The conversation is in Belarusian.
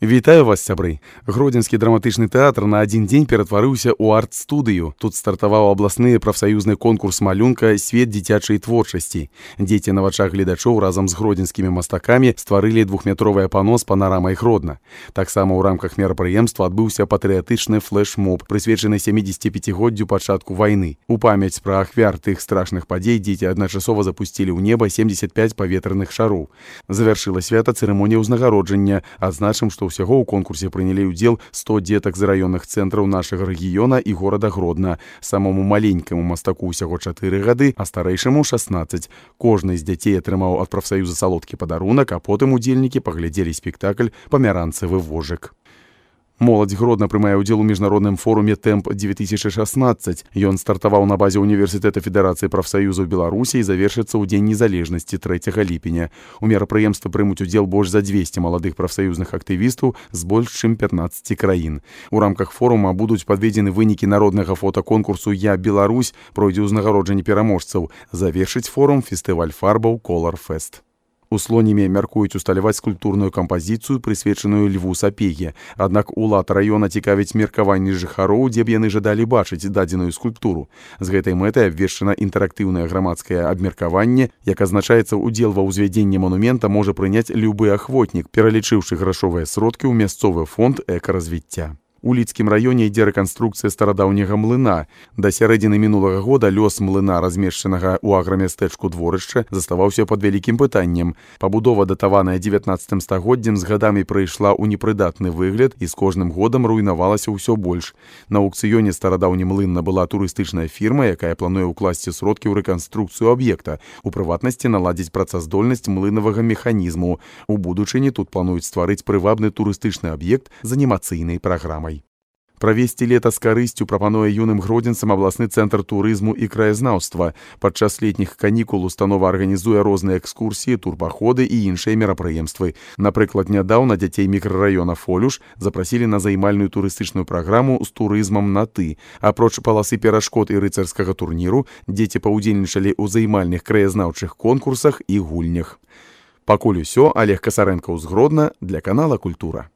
Вітаю вас, сябры! Гродзенскі драматычны тэатр на адзін дзень ператварыўся ў арт-студыю. Тут стартаваў абласны прафсаюзны конкурс малюнка «Свет дзіцячай творчасці». Дзеці на вачах гледачоў разам з гродзенскімі мастакамі стварылі двухметровае пано з панарамай Гродна. Таксама ў рамках мерапрыемства адбыўся патрыятычны флэш-моб, прысвечаны 75годдзю пачатку вайны. У памяць пра ахвяр тых страшных падзей дзеці адначасова запусцілі ў неба 75 паветраных шароў. Завяршыла свята цырымонія ўзнагароджання. Адзначым, што ўсяго ў конкурсе прынялі ўдзел 100 дзетак з раённых цэнтраў нашага рэгіёна і горада Гродна. Самому маленькаму мастаку ўсяго 4 гады, а старэйшаму 16. Кожны з дзяцей атрымаў ад прафсаюза салодкі падарунак, а потым удзельнікі паглядзелі спектакль «Памяранцавы вожык». Моладзь Гродна прымае ўдзел у міжнародным форуме «Тэмп-2016». Ён стартаваў на базе Універсітэта Федэрацыі прафсаюзаў Беларусі і завершыцца ў Дзень незалежнасці 3 ліпеня. У мерапрыемстве прымуць удзел больш за 200 маладых прафсаюзных актывістаў з больш чым 15 краін. У рамках форума будуць падведзены вынікі народнага фотаконкурсу «Я Беларусь», пройдзе ўзнагароджанне пераможцаў. Завершыць форум фестываль фарбаў «Колар Фест». У Слонімі мяркуюць усталяваць скульптурную кампазіцыю, прысвечаную Льву Сапеге. Аднак улад раёна цікавіць меркаванні жыхароў, дзе б яны жадалі бачыць дадзеную скульптуру. З гэтай мэтай абвешчана інтэрактыўнае грамадскае абмеркаванне, як азначаецца, удзел ва ўзвядзенні монумента можа прыняць любы ахвотнік, пералічыўшы грашовыя сродкі ў мясцовы фонд экаразвіцця. У Лідскім раёне ідзе рэканструкцыя старадаўняга млына. Да сярэдзіны мінулага года лёс млына, размешчанага ў аграмястэчку дворышча, заставаўся пад вялікім пытаннем. Пабудова, датаваная 19 стагоддзем, з гадамі прыйшла ў непрыдатны выгляд і з кожным годам руйнавалася ўсё больш. На аўкцыёне старадаўні млын набыла турыстычная фірма, якая плануе ўкласці сродкі ў рэканструкцыю аб'екта, у прыватнасці наладзіць працаздольнасць млынавага механізму. У будучыні тут плануюць стварыць прывабны турыстычны аб'ект з анімацыйнай праграмай. Правесці лета з карысцю прапануе юным гродзенцам абласны цэнтр турызму і краязнаўства. Падчас летніх канікул установа арганізуе розныя экскурсіі, турпаходы і іншыя мерапрыемствы. Напрыклад, нядаўна дзяцей мікрараёна Фолюш запрасілі на займальную турыстычную праграму з турызмам на «ты». Апроч паласы перашкод і рыцарскага турніру, дзеці паўдзельнічалі ў займальных краязнаўчых конкурсах і гульнях. Пакуль усё, Олег Касарэнкаў з Гродна для канала «Культура».